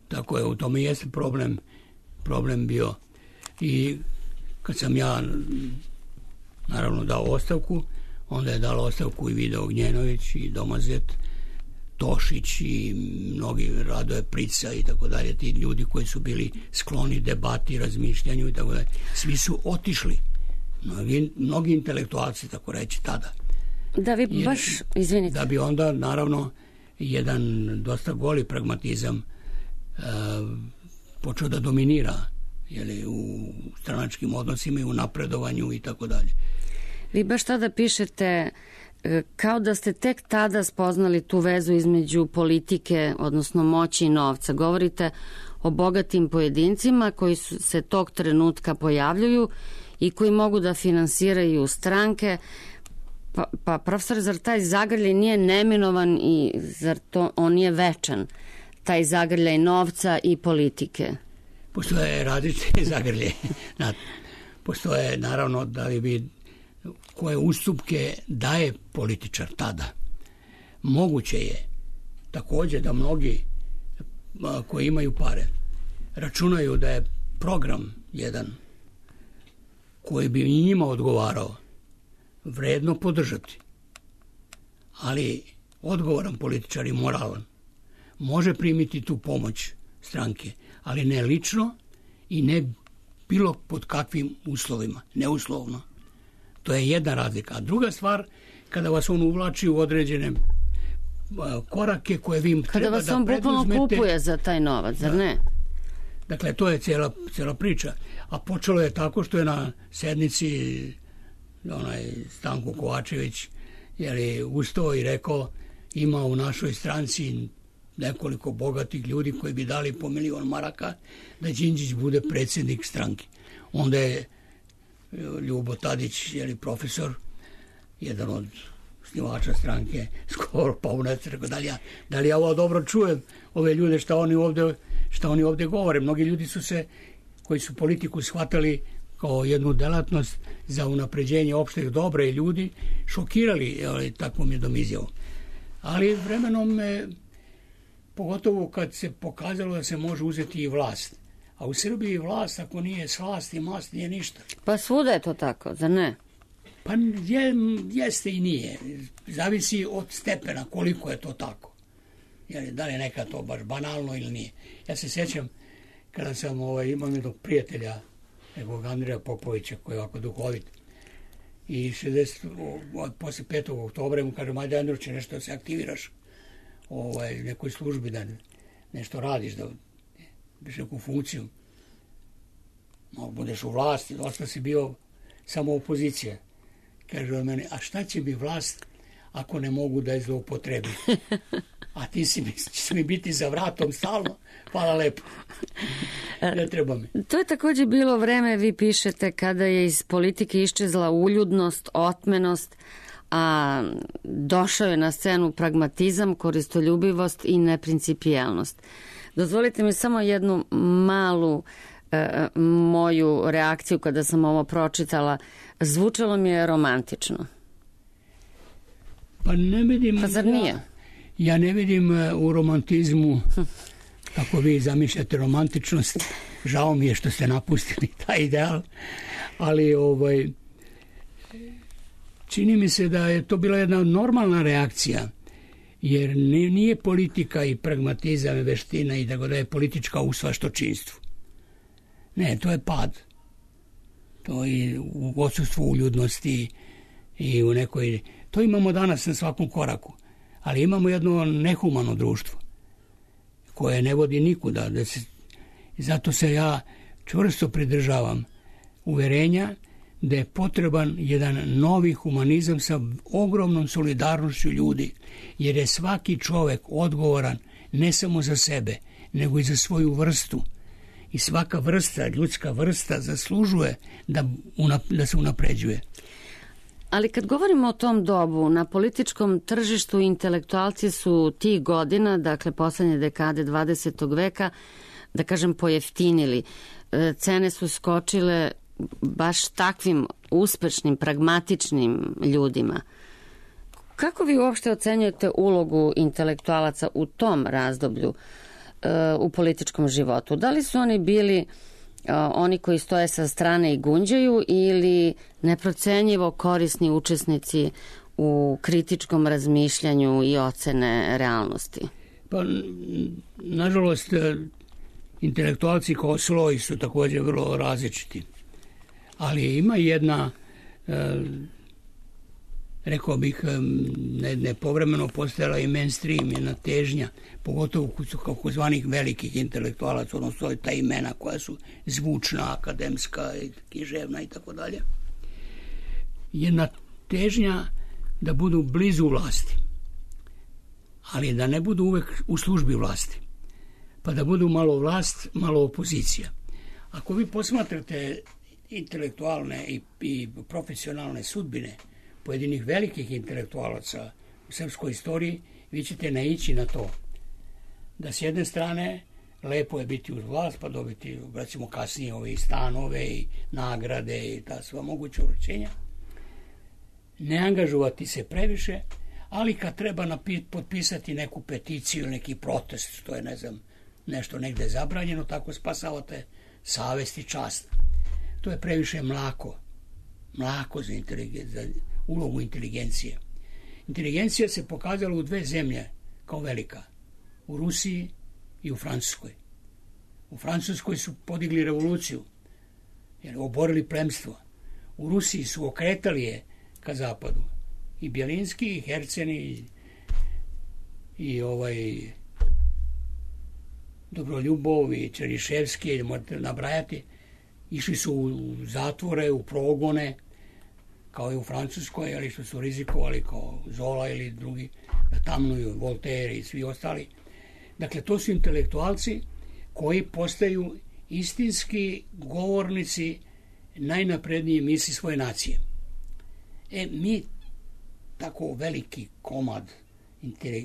Tako je, u tome jeste problem, problem bio. I kad sam ja naravno dao ostavku, onda je dala ostavku i Vida Ognjenović i Domazet, Tošić i mnogi, Radoje Prica i tako dalje, ti ljudi koji su bili skloni debati, razmišljanju i tako dalje. Svi su otišli. Mnogi, mnogi intelektualci, tako reći, tada. Da vi Jer, baš, izvinite. Da bi onda, naravno, jedan dosta goli pragmatizam uh, počeo da dominira jeli, u stranačkim odnosima i u napredovanju i tako dalje. Vi baš tada pišete kao da ste tek tada spoznali tu vezu između politike, odnosno moći i novca. Govorite o bogatim pojedincima koji su, se tog trenutka pojavljuju i koji mogu da finansiraju stranke. Pa, pa profesor, zar taj zagrljaj nije neminovan i zar to on nije večan? Taj zagrljaj novca i politike. Postoje različite zagrlje. Postoje, naravno, da li bi koje ustupke daje političar tada. Moguće je također da mnogi koji imaju pare računaju da je program jedan koji bi njima odgovarao vredno podržati. Ali odgovoran političar i moralan može primiti tu pomoć stranke, ali ne lično i ne bilo pod kakvim uslovima, neuslovno. To je jedna razlika. A druga stvar, kada vas on uvlači u određene korake koje vi im treba da preduzmete. Kada vas on bukvalno kupuje za taj novac, zar ne? Dakle, to je cijela, cijela priča. A počelo je tako što je na sednici onaj Stanko Kovačević jeli, ustao i rekao ima u našoj stranci nekoliko bogatih ljudi koji bi dali po milion maraka da Đinđić bude predsjednik stranke. Onda je Ljubo Tadić, jeli profesor, jedan od snivača stranke, skoro paunac, rekao, da li, ja, da li ja ovo dobro čujem, ove ljude, šta oni ovde, šta oni ovde govore. Mnogi ljudi su se, koji su politiku shvatali kao jednu delatnost za unapređenje opšteg dobra i ljudi, šokirali, ali takvom jednom izjavom. Ali vremenom me, pogotovo kad se pokazalo da se može uzeti i vlast. A u Srbiji vlast, ako nije slast i mast, nije ništa. Pa svuda je to tako, zar ne? Pa je, jeste i nije. Zavisi od stepena koliko je to tako. Jer, da li je neka to baš banalno ili nije. Ja se sjećam kada sam ovaj, imao jednog prijatelja, nekog Andreja Popovića, koji je ovako duhovit. I šezdeset, posle petog oktobra mu kaže, ajde Andruće, nešto da se aktiviraš ovaj, nekoj službi, da nešto radiš, da biš neku funkciju. No, budeš u vlasti, dosta si bio samo opozicija. Kaže on meni, a šta će mi vlast ako ne mogu da je zloupotrebi? A ti si mi, će mi biti za vratom stalno, hvala lepo. Ne treba mi. To je također bilo vreme, vi pišete, kada je iz politike iščezla uljudnost, otmenost, a došao je na scenu pragmatizam, koristoljubivost i neprincipijelnost. Dozvolite mi samo jednu malu e, moju reakciju kada sam ovo pročitala. Zvučalo mi je romantično. Pa ne vidim... Pa zar nije? Ja, ja ne vidim u romantizmu, kako vi zamišljate romantičnost. Žao mi je što ste napustili taj ideal, ali ovaj, čini mi se da je to bila jedna normalna reakcija, jer nije politika i pragmatizam i veština i da je politička u svaštočinstvu. Ne, to je pad. To je u odsustvu uljudnosti i u nekoj... To imamo danas na svakom koraku, ali imamo jedno nehumano društvo koje ne vodi nikuda. Da se, zato se ja čvrsto pridržavam uverenja da je potreban jedan novi humanizam sa ogromnom solidarnošću ljudi, jer je svaki čovek odgovoran ne samo za sebe, nego i za svoju vrstu. I svaka vrsta, ljudska vrsta, zaslužuje da, da se unapređuje. Ali kad govorimo o tom dobu, na političkom tržištu intelektualci su tih godina, dakle poslednje dekade dvadesetog veka, da kažem, pojeftinili. Cene su skočile baš takvim uspešnim, pragmatičnim ljudima. Kako vi uopšte ocenjujete ulogu intelektualaca u tom razdoblju u političkom životu? Da li su oni bili oni koji stoje sa strane i gunđaju ili neprocenjivo korisni učesnici u kritičkom razmišljanju i ocene realnosti? Pa, nažalost, intelektualci kao sloj su također vrlo različiti. Ali ima jedna, rekao bih, ne, nepovremeno postojala i mainstream, jedna težnja, pogotovo kako zvanih velikih intelektualaca, odnosno ta imena koja su zvučna, akademska, književna i tako dalje. Jedna težnja da budu blizu vlasti, ali da ne budu uvek u službi vlasti, pa da budu malo vlast, malo opozicija. Ako vi posmatrate intelektualne i, i profesionalne sudbine pojedinih velikih intelektualaca u srpskoj istoriji, vi ćete naići na to da s jedne strane lepo je biti uz vlast, pa dobiti, recimo, kasnije ove stanove i nagrade i ta sva moguća uručenja, ne angažovati se previše, ali kad treba napi- potpisati neku peticiju ili neki protest, što je, ne znam, nešto negde zabranjeno, tako spasavate savest i čast. To je previše mlako. Mlako za, za ulogu inteligencije. Inteligencija se pokazala u dve zemlje kao velika. U Rusiji i u Francuskoj. U Francuskoj su podigli revoluciju, jer oborili plemstvo. U Rusiji su okretali je ka zapadu. I Bjelinski, i Herceni, i, i ovaj Dobroljubov, i Čeriševski, možete nabrajati, išli su u zatvore, u progone, kao i u Francuskoj, ali što su rizikovali kao Zola ili drugi, da tamnuju, Voltaire i svi ostali. Dakle, to su intelektualci koji postaju istinski govornici najnaprednije misli svoje nacije. E, mi tako veliki komad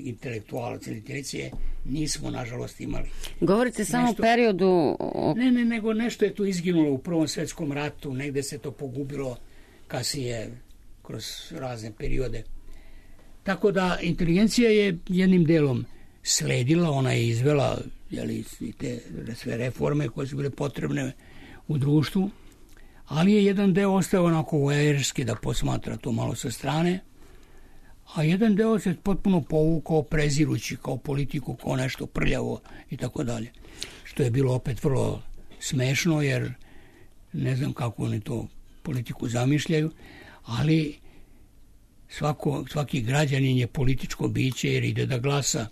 intelektualaca ili intelekcije nismo, nažalost, imali. Govorite nešto, samo o periodu... Ne, ne, nego nešto je tu izginulo u Prvom svetskom ratu, negde se to pogubilo kasnije kroz razne periode. Tako da inteligencija je jednim delom sledila, ona je izvela jeli, te sve reforme koje su bile potrebne u društvu, ali je jedan deo ostao onako voajerski da posmatra to malo sa strane, a jedan deo se potpuno povukao prezirući kao politiku, kao nešto prljavo i tako dalje. Što je bilo opet vrlo smešno, jer ne znam kako oni to politiku zamišljaju, ali svako, svaki građanin je političko biće jer ide da glasa.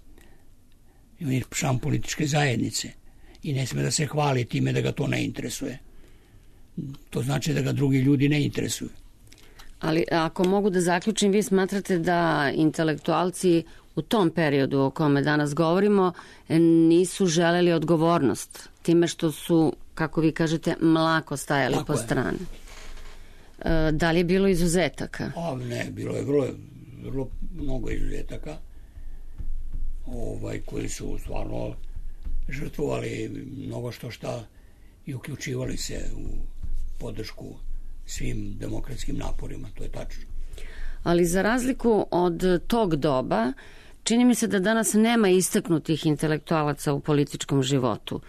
On je član političke zajednice i ne sme da se hvali time da ga to ne interesuje. To znači da ga drugi ljudi ne interesuju. Ali ako mogu da zaključim, vi smatrate da intelektualci u tom periodu o kome danas govorimo nisu želeli odgovornost time što su, kako vi kažete, mlako stajali Tako po je. strani. Da li je bilo izuzetaka? A ne, bilo je vrlo, vrlo mnogo izuzetaka ovaj, koji su stvarno žrtvovali mnogo što šta i uključivali se u podršku svim demokratskim naporima, to je tačno. Ali za razliku od tog doba, čini mi se da danas nema istaknutih intelektualaca u političkom životu.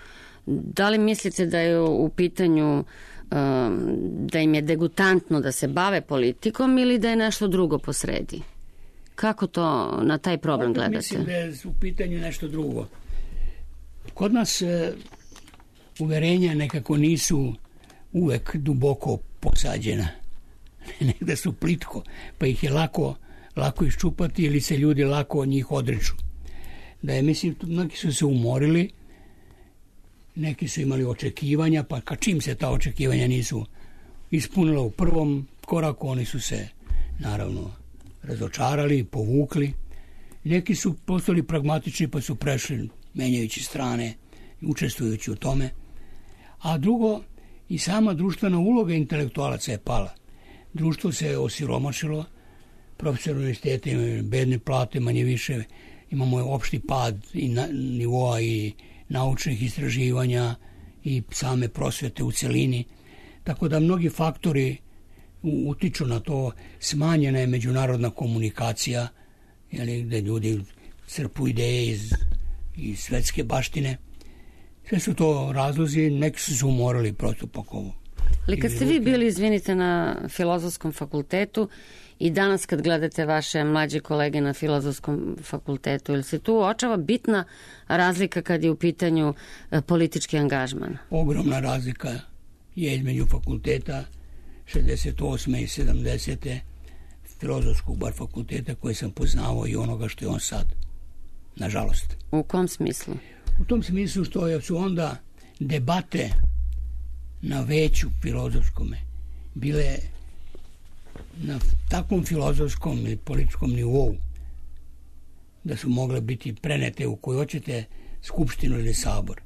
Da li mislite da je u pitanju da im je degutantno da se bave politikom ili da je nešto drugo posredi? Kako to na taj problem Opet gledate? Mislim da je u pitanju nešto drugo. Kod nas e, uverenja nekako nisu uvek duboko posađena. Negde su plitko, pa ih je lako, lako iščupati ili se ljudi lako od njih odriču. Da je, mislim, neki su se umorili, neki su imali očekivanja, pa ka čim se ta očekivanja nisu ispunila u prvom koraku, oni su se, naravno, razočarali, povukli. Neki su postali pragmatični, pa su prešli menjajući strane, učestvujući u tome. A drugo, i sama društvena uloga intelektualaca je pala. Društvo se osiromašilo, profesor univerziteta imaju bedne plate, manje više, imamo opšti pad i na, nivoa i naučnih istraživanja i same prosvete u celini. Tako da mnogi faktori utiču na to. Smanjena je međunarodna komunikacija, jeli, gde ljudi crpu ideje iz, iz svetske baštine. Sve su to razlozi, neki su se umorali prosto pakovo. Ali kad ste vi bili, izvinite, na Filozofskom fakultetu i danas kad gledate vaše mlađe kolege na Filozofskom fakultetu, ili se tu uočava bitna razlika kad je u pitanju politički angažman? Ogromna razlika je između fakulteta šezdeset osme i sedamdesete Filozofskog bar fakulteta koji sam poznavao i onoga što je on sad. Nažalost. U kom smislu? U tom smislu što su onda debate na veću filozofskome bile na takvom filozofskom i političkom nivou da su mogle biti prenete u koju hoćete skupštinu ili sabor.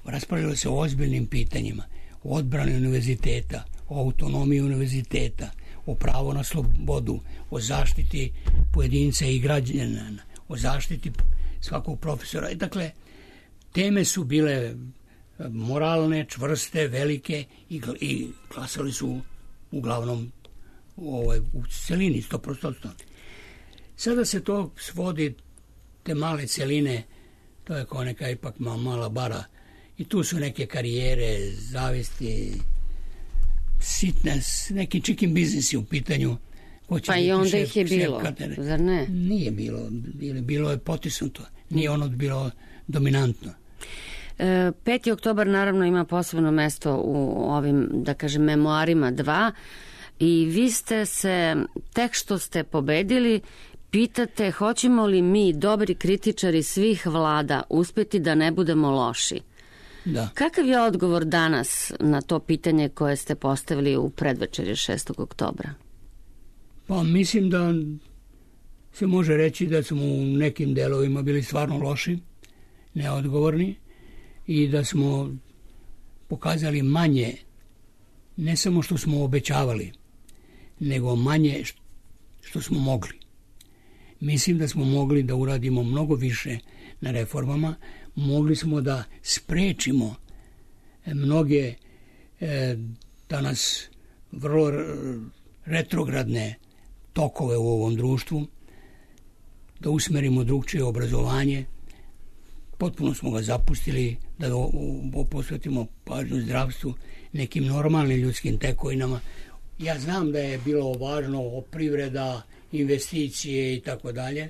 Raspravljalo se o ozbiljnim pitanjima, o odbrani univerziteta, o autonomiji univerziteta, o pravu na slobodu, o zaštiti pojedinca i građana, o zaštiti svakog profesora. I dakle, teme su bile moralne, čvrste, velike i, i glasali su uglavnom ovaj, u celini, sto posto. Sada se to svodi, te male celine, to je kao neka ipak mala bara i tu su neke karijere, zavisti, sitnes, neki chicken biznisi u pitanju. Pa i onda ih je bilo, zar ne? Nije bilo, bilo je potisnuto, nije ono bilo dominantno. peti oktobar naravno ima posebno mesto u ovim, da kažem, memoarima dva i vi ste se, tek što ste pobedili, pitate hoćemo li mi, dobri kritičari svih vlada, uspjeti da ne budemo loši. Da. Kakav je odgovor danas na to pitanje koje ste postavili u predvečerje šestog oktobra? Pa mislim da se može reći da smo u nekim delovima bili stvarno loši, neodgovorni i da smo pokazali manje, ne samo što smo obećavali, nego manje što smo mogli. Mislim da smo mogli da uradimo mnogo više na reformama, mogli smo da sprečimo mnoge e, danas vrlo retrogradne tokove u ovom društvu, da usmerimo drugčije obrazovanje. Potpuno smo ga zapustili, da posvetimo pažnju zdravstvu, nekim normalnim ljudskim tekovinama. Ja znam da je bilo važno privreda, investicije i tako dalje.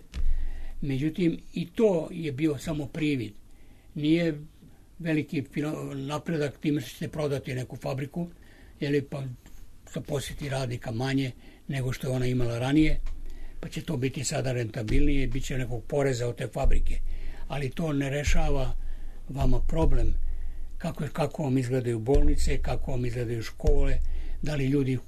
Međutim, i to je bio samo privid. Nije veliki napredak time što ćete prodati neku fabriku, ili pa zaposliti radnika manje nego što je ona imala ranije, pa će to biti sada rentabilnije i bit će nekog poreza od te fabrike. Ali to ne rešava vama problem kako, kako vam izgledaju bolnice, kako vam izgledaju škole, da li ljudi,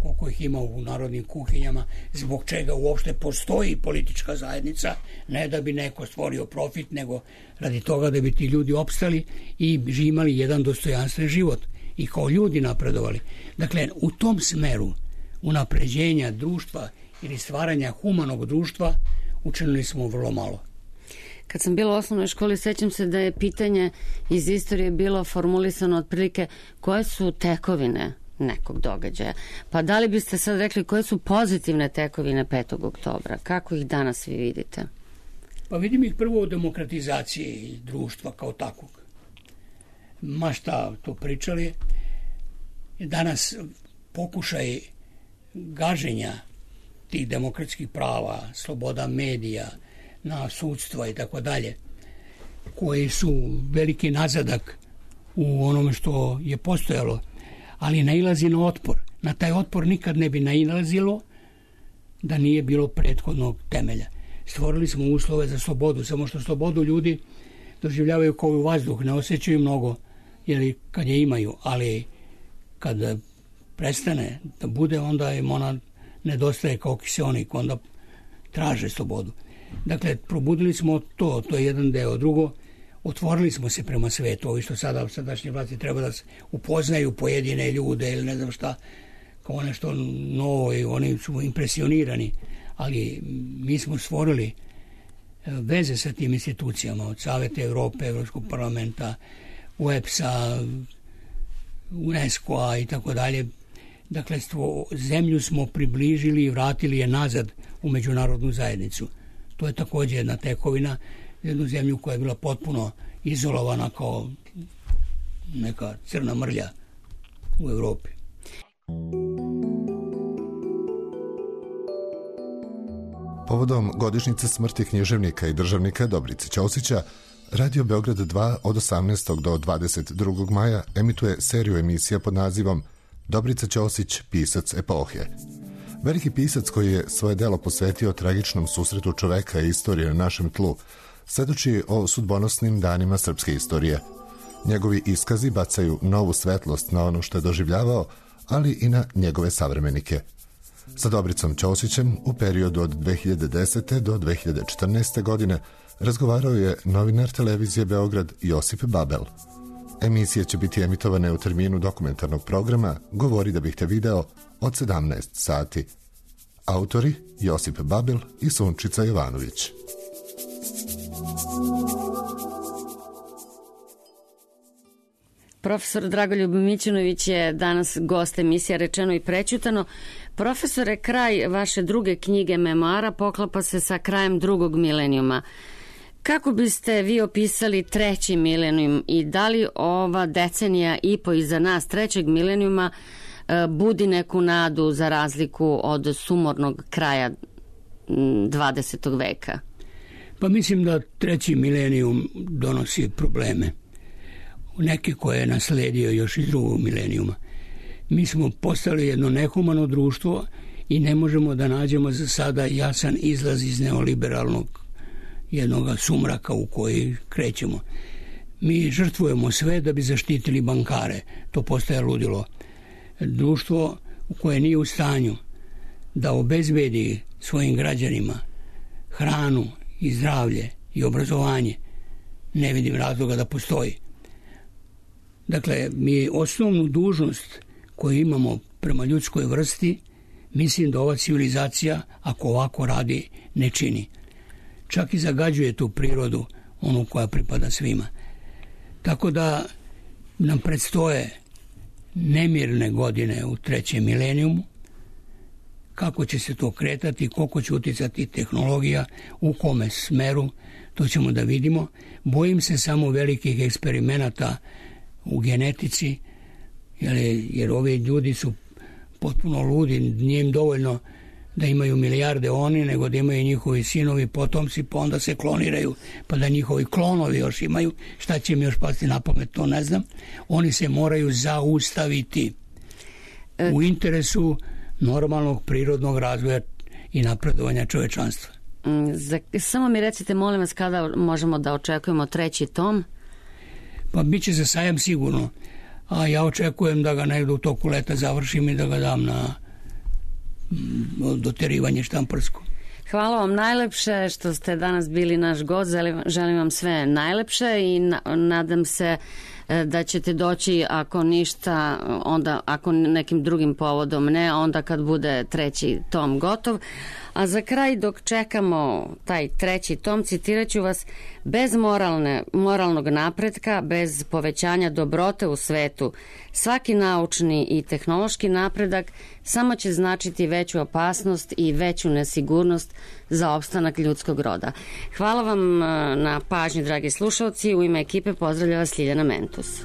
koliko ih ima u narodnim kuhinjama, zbog čega uopšte postoji politička zajednica, ne da bi neko stvorio profit, nego radi toga da bi ti ljudi opstali i imali jedan dostojanstven život i kao ljudi napredovali. Dakle, u tom smeru unapređenja društva ili stvaranja humanog društva učinili smo vrlo malo. Kad sam bila u osnovnoj školi, sećam se da je pitanje iz istorije bilo formulisano otprilike koje su tekovine nekog događaja. Pa da li biste sad rekli koje su pozitivne tekovine petog oktobra? Kako ih danas vi vidite? Pa vidim ih prvo u demokratizaciji društva kao takvog. Ma šta to pričali. Danas pokušaj gaženja tih demokratskih prava, sloboda medija, na sudstva i tako dalje, koji su veliki nazadak u onome što je postojalo, ali nailazi na otpor. Na taj otpor nikad ne bi nailazilo da nije bilo prethodnog temelja. Stvorili smo uslove za slobodu, samo što slobodu ljudi doživljavaju kao u vazduh, ne osjećaju mnogo, jer kad je imaju, ali kad prestane da bude, onda im ona nedostaje kao kiseonik, onda traže slobodu. Dakle, probudili smo to, to je jedan deo. Drugo, otvorili smo se prema svetu, ovi što sada sadašnje vlasti treba da se upoznaju pojedine ljude ili ne znam šta, kao nešto novo i oni su impresionirani, ali mi smo stvorili veze sa tim institucijama, od Saveta Evrope, Evropskog parlamenta, U E P S-a, UNESCO-a i tako dalje. Dakle, zemlju smo približili i vratili je nazad u međunarodnu zajednicu. To je također jedna tekovina, jednu zemlju koja je bila potpuno izolovana kao neka crna mrlja u Evropi. Povodom godišnjice smrti književnika i državnika Dobrice Ćosića, Radio Beograd dva od osamnaestog do dvadeset drugog maja emituje seriju emisija pod nazivom Dobrica Ćosić, pisac epohe. Veliki pisac koji je svoje delo posvetio tragičnom susretu čoveka i istorije na našem tlu, svedoči o sudbonosnim danima srpske istorije. Njegovi iskazi bacaju novu svetlost na ono što je doživljavao, ali i na njegove savremenike. Sa Dobricom Ćosićem u periodu od dve hiljade desete do dve hiljade četrnaeste. godine razgovarao je novinar televizije Beograd Josip Babel. Emisije će biti emitovane u terminu dokumentarnog programa Govori da bih te video od sedamnaest sati. Autori Josip Babel i Sunčica Jovanović. Profesor Dragoljub Mićunović je danas gost emisija Rečeno i prećutano. Profesore, kraj vaše druge knjige memoara poklapa se sa krajem drugog milenijuma. Kako biste vi opisali treći milenijum i da li ova decenija i po iza nas trećeg milenijuma budi neku nadu za razliku od sumornog kraja dvadesetog veka? Pa mislim da treći milenijum donosi probleme. Neki koje je nasledio još iz drugog milenijuma. Mi smo postali jedno nehumano društvo i ne možemo da nađemo za sada jasan izlaz iz neoliberalnog jednog sumraka u koji krećemo. Mi žrtvujemo sve da bi zaštitili bankare. To postaje ludilo. Društvo u koje nije u stanju da obezbedi svojim građanima hranu i zdravlje i obrazovanje ne vidim razloga da postoji. Dakle, mi osnovnu dužnost koju imamo prema ljudskoj vrsti, mislim da ova civilizacija, ako ovako radi, ne čini. Čak i zagađuje tu prirodu, onu koja pripada svima. Tako da nam predstoje nemirne godine u trećem milenijumu. Kako će se to kretati, koliko će uticati tehnologija, u kome smeru, to ćemo da vidimo. Bojim se samo velikih eksperimenata u genetici, jer, jer ovi ljudi su potpuno ludi, nije im dovoljno da imaju milijarde oni, nego da imaju njihovi sinovi, potomci, pa onda se kloniraju, pa da njihovi klonovi još imaju. Šta će mi još pasti na pamet, to ne znam. Oni se moraju zaustaviti u interesu normalnog prirodnog razvoja i napredovanja čovečanstva. Za, samo mi recite, molim vas, kada možemo da očekujemo treći tom? Pa bit će za sajam sigurno, a ja očekujem da ga negdje u toku leta završim i da ga dam na doterivanje štamparsko. Hvala vam najlepše što ste danas bili naš gost. Želim vam sve najlepše i nadam se da ćete doći, ako ništa, onda ako nekim drugim povodom ne, onda kad bude treći tom gotov. A za kraj, dok čekamo taj treći tom, citirat ću vas: bez moralne, moralnog napretka, bez povećanja dobrote u svetu, svaki naučni i tehnološki napredak samo će značiti veću opasnost i veću nesigurnost za opstanak ljudskog roda. Hvala vam na pažnji, dragi slušalci. U ime ekipe pozdravlja vas Ljiljana Mentus.